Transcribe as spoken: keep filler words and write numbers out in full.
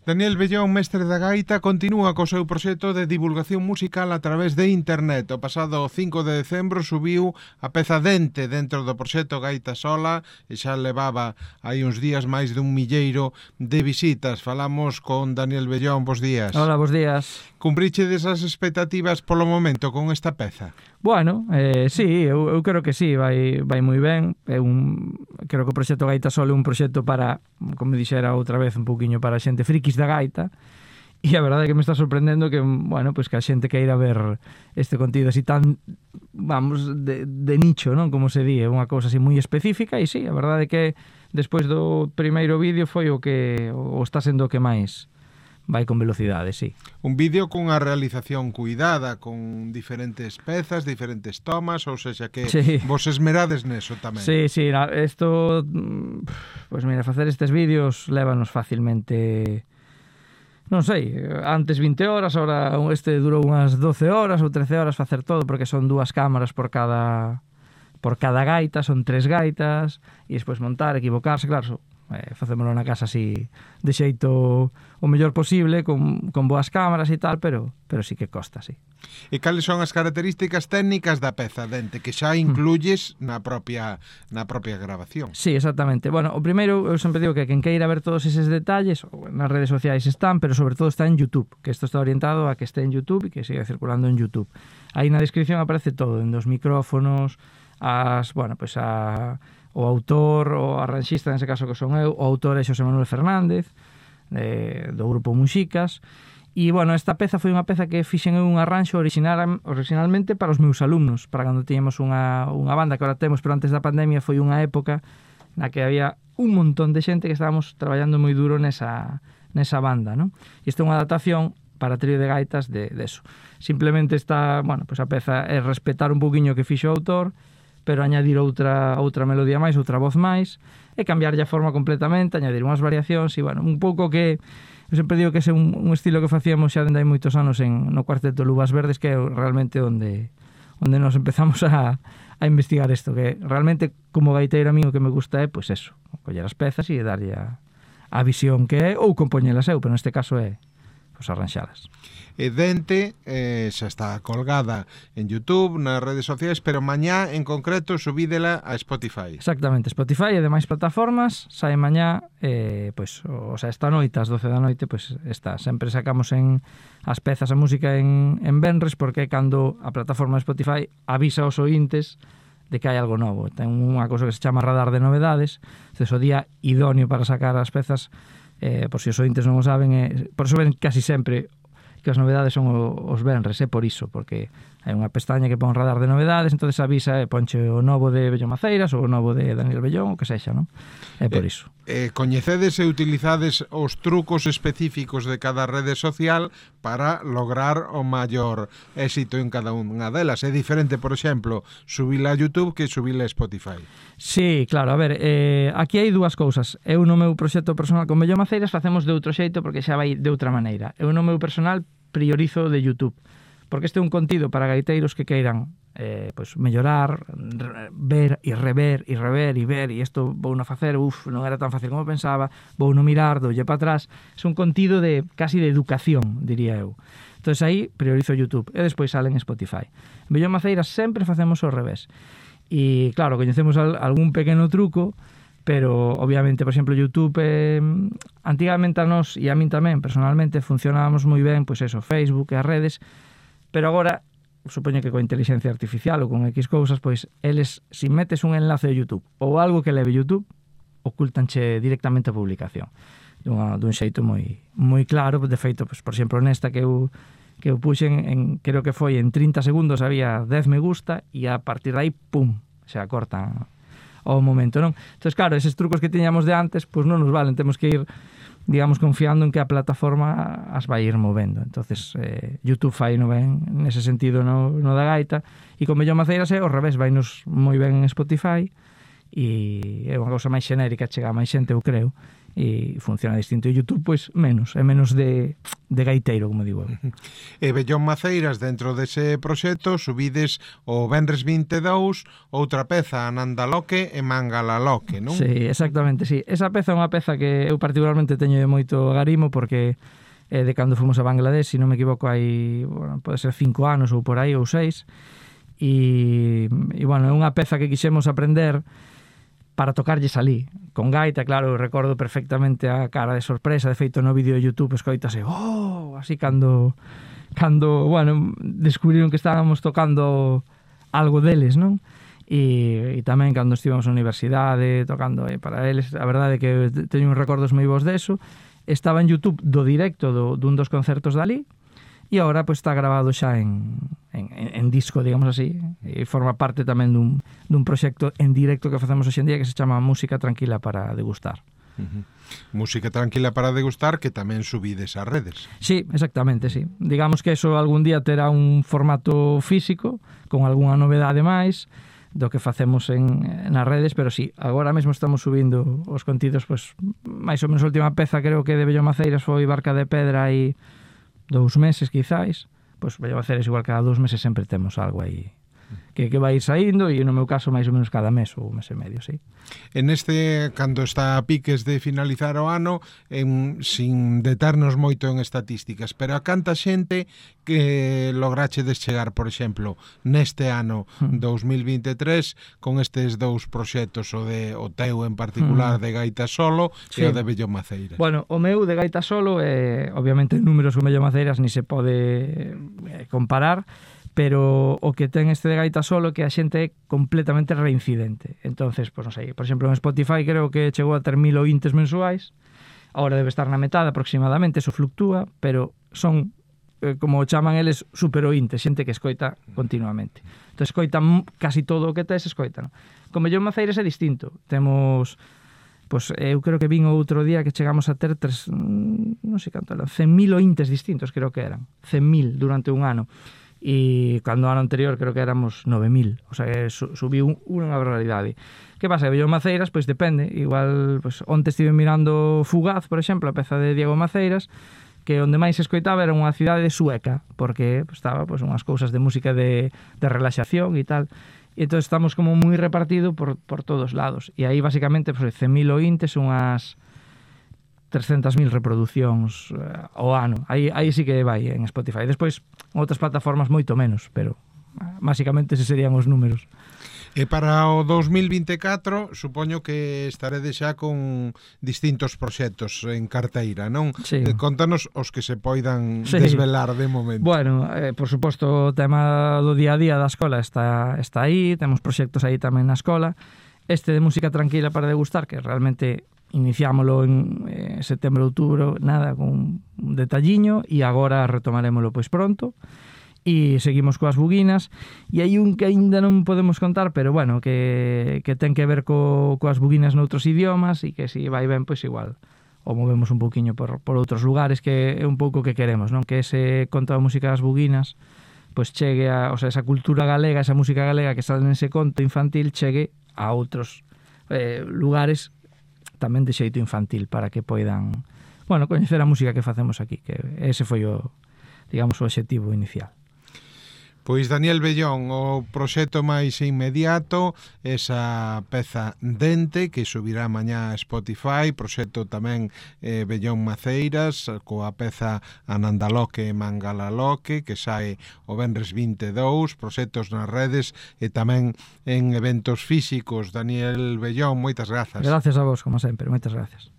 Daniel Bellón, mestre da gaita, continúa co seu proxecto de divulgación musical a través de internet. O pasado cinco de decembro subiu a peza Dente dentro do proxecto Gaita Sola e xa levaba hai uns días máis dun milleiro de visitas. Falamos con Daniel Bellón, bos días. Hola, bos días. Cumpriche desas expectativas polo momento con esta peza? Bueno, eh, sí, eu, eu creo que sí, vai, vai moi ben. É un, creo que o proxecto Gaita Sola é un proxecto para, como dixera outra vez, un pouquiño para a xente frikis da gaita. E a verdade é que me está sorprendendo que, bueno, pues que a xente queira ver este contido así tan, vamos, de, de nicho, non? Como se di, é unha cousa así moi específica. E sí, a verdade é que despois do primeiro vídeo foi o que o está sendo o que máis vai con velocidade, sí. Un vídeo cunha realización cuidada, con diferentes pezas, diferentes tomas, ou seja que sí. Vos esmerades neso tamén. Sí, sí, isto, pues mira, facer estes vídeos lévanos facilmente, non sei, antes vinte horas, ahora este durou unhas doce horas ou trece horas facer todo, porque son dúas cámaras por cada por cada gaita, son tres gaitas, e despois montar, equivocarse, claro, Eh, facémoslo na casa así de xeito o mellor posible, con, con boas cámaras e tal, pero pero sí que costa, sí. E cales son as características técnicas da peza Dente que xa incluyes na propia na propia grabación? Sí, exactamente. Bueno, o primeiro, eu sempre digo que quen queira ver todos eses detalles, nas redes sociais están, pero sobre todo está en YouTube, que isto está orientado a que este en YouTube e que siga circulando en YouTube. Aí na descripción aparece todo, en dos micrófonos, as, bueno, pues a o autor, o arranxista, nese caso que son eu, o autor é Xosé Manuel Fernández, de, do grupo Muxicas. E, bueno, esta peza foi unha peza que fixen eu un arranxo original, originalmente para os meus alumnos, para cando tiñamos unha, unha banda que ahora temos, pero antes da pandemia foi unha época na que había un montón de xente que estábamos traballando moi duro nesa, nesa banda, non? E isto é unha adaptación para trío de gaitas de, de eso. Simplemente está, bueno, pues a peza é respetar un poquinho que fixo o autor, pero añadir outra outra melodía máis, outra voz máis, e cambiarlle a forma completamente, añadir unhas variacións, e, bueno, un pouco que, eu sempre digo que é un, un estilo que facíamos xa dende hai moitos anos en, no cuarteto Luvas Verdes, que é realmente onde onde nos empezamos a, a investigar isto, que realmente, como gaiteiro a mí o que me gusta é, pois eso, coller as pezas e darlle a, a visión que é, ou compoñelas eu, pero neste caso é pois arranxalas. E Dente eh, xa está colgada en YouTube, nas redes sociais, pero mañá en concreto subídela a Spotify. Exactamente, Spotify e demais plataformas, sae mañá, eh, pois, o sea, esta noite, ás doce da noite, pois está. Sempre sacamos en as pezas a música en, en venres, porque cando a plataforma de Spotify avisa aos ointes de que hai algo novo. Ten unha cousa que se chama radar de novedades, entonces o día idóneo para sacar as pezas, eh, por si os ointes non o saben, eh, por iso ven casi sempre que as novedades son os venres, é por iso, porque hai unha pestaña que pon radar de novedades, entonces avisa e ponche o novo de Bellón Maceiras ou o novo de Daniel Bellón, o que sexa, non? É por iso. Eh, coñecedes e utilizades os trucos específicos de cada rede social para lograr o maior éxito en cada unha delas. É diferente, por exemplo, subila a YouTube que subila a Spotify. Sí, claro, a ver, eh, aquí hai dúas cousas. Eu no meu proxecto personal con Bellón Maceiras facemos de outro xeito porque xa vai de outra maneira. Eu no meu personal priorizo de YouTube, porque este é un contido para gaiteiros que queiran eh, pues, mellorar, ver e rever e rever e ver, e isto vou non facer, uf, non era tan fácil como pensaba, vou non mirar, doulle para atrás. É un contido de casi de educación, diría eu. Entón aí priorizo YouTube e despois salen Spotify. En Bellón Maceiras sempre facemos ao revés. E claro, coñecemos algún pequeno truco, pero obviamente, por exemplo, YouTube eh, antigamente a nós e a min tamén personalmente funcionábamos moi ben, pois eso, Facebook e as redes, pero agora supoño que coa inteligencia artificial ou con X cousas, pois eles, se metes un enlace de YouTube ou algo que leve YouTube, ocultanche directamente a publicación dun, dun xeito moi moi claro. De feito, pois, por exemplo, nesta que eu que eu puxen en, creo que foi en trinta segundos había dez me gusta e a partir de aí, pum, xa cortan ao momento, non? Entón, claro, eses trucos que tiñamos de antes, pois non nos valen, temos que ir, digamos, confiando en que a plataforma as vai ir movendo. Entonces, eh, YouTube fai no ben nese sentido no, no da gaita, e con Bellón Maceiras é ao revés, vainos moi ben en Spotify, e é unha cousa máis xenérica, chega a máis xente, eu creo, e funciona distinto. E YouTube, pois, menos, é menos de, de gaiteiro, como digo eu. E Bellón Maceiras, dentro dese proxecto, subides o Venres vinte e dous outra peza, Anandaloque e Mangalaloque, non? Sí, exactamente, sí. Esa peza é unha peza que eu particularmente teño de moito agarimo, porque é de cando fomos a Bangladesh, se non me equivoco, hai, bueno, pode ser cinco anos ou por aí, ou seis, e, e bueno, é unha peza que quixemos aprender para tocarlles ali, con gaita. Claro, recordo perfectamente a cara de sorpresa, de feito no vídeo de YouTube escoitase, oh, así cando, cando, bueno, descubriron que estábamos tocando algo deles, non? E, e tamén cando estivemos na universidade tocando eh, para eles, a verdade é que teño uns recordos moi bons deso. Estaba en YouTube do directo do, dun dos concertos dali, e agora pues, está grabado xa en, en, en disco, digamos así, e forma parte tamén dun, dun proxecto en directo que facemos hoxe en día que se chama Música Tranquila para Degustar. Uh-huh. Música Tranquila para Degustar, que tamén subides ás redes. Sí, exactamente, sí. Digamos que eso algún día terá un formato físico con algunha novedade máis do que facemos en, nas redes, pero sí, agora mesmo estamos subindo os contidos, pues, máis ou menos a última peza creo que de Bellón Maceiras foi Barca de Pedra e dous meses, quizáis, pois vai a ser igual, cada dous meses sempre temos algo aí que, que vai ir saindo, e no meu caso máis ou menos cada mes ou mes e medio, sí. En este, cando está a piques de finalizar o ano, en, sin deternos moito en estatísticas, pero a canta xente que lograche chegar, por exemplo, neste ano dous mil vinte e tres, con estes dous proxectos, o de o teu en particular de gaita solo, sí, e o de Bellón Maceiras? Bueno, o meu de gaita solo, eh, obviamente números con Bellón Maceiras ni se pode eh, comparar, pero o que ten este de gaita solo que a xente é completamente reincidente. Entonces, pues non sei, por exemplo, en Spotify creo que chegou a ter mil ointes mensuais, agora debe estar na metade aproximadamente, eso fluctúa, pero son, eh, como chaman eles, super ointes, xente que escoita continuamente. Entón, escoitan casi todo o que tes, escoitan. Con Bellón Maceiras é distinto. Temos, pues, eu creo que vin outro día que chegamos a ter tres, non sei canto eran, cen mil ointes distintos, creo que eran, cen mil durante un ano. E cando o ano anterior creo que éramos nove mil, o sea, que subiu unha barbaridade. Que pasa? Bellón Maceiras, pois depende, igual, pois onte estive mirando Fugaz, por exemplo, a peza de Diego Maceiras, que onde máis se escoitaba era unha cidade sueca, porque pois, estaba pois, unhas cousas de música de, de relaxación e tal, e entón estamos como moi repartido por, por todos lados, e aí basicamente pois, cen mil ointes, unhas trescentas mil reproducións uh, ao ano. Aí, aí sí que vai en Spotify. Despois, outras plataformas moito menos, pero uh, basicamente ese serían os números. E para o dous mil vinte e catro, supoño que estaredes xa con distintos proxectos en carteira, non? Sí. Eh, contanos os que se poidan sí. desvelar de momento. Bueno, eh, por suposto, o tema do día a día da escola está, está aí, temos proxectos aí tamén na escola. Este de Música Tranquila para Degustar, que realmente iniciámoslo en eh, setembro, outubro, nada, con un detalliño, e agora retomarémoslo pois pronto, e seguimos coas buguinas, e hai un que aínda non podemos contar, pero bueno, que, que ten que ver co, coas buguinas noutros idiomas, e que se vai ben, pois igual o movemos un pouquiño por, por outros lugares, que é un pouco que queremos, non? Que ese conto da música das buguinas pois chegue a, o sea, esa cultura galega, esa música galega que sale nese conto infantil, chegue a outros eh, lugares tamén de xeito infantil, para que poidan, bueno, coñecer a música que facemos aquí, que ese foi o, digamos, o obxectivo inicial. Pois Daniel Bellón, o proxecto máis inmediato, esa peza Dente, que subirá mañá a Spotify, proxecto tamén eh, Bellón Maceiras, coa peza Anandaloque e Mangalaloque, que sae o Venres vinte e dous, proxectos nas redes e tamén en eventos físicos. Daniel Bellón, moitas grazas. Gracias a vos, como sempre, moitas gracias.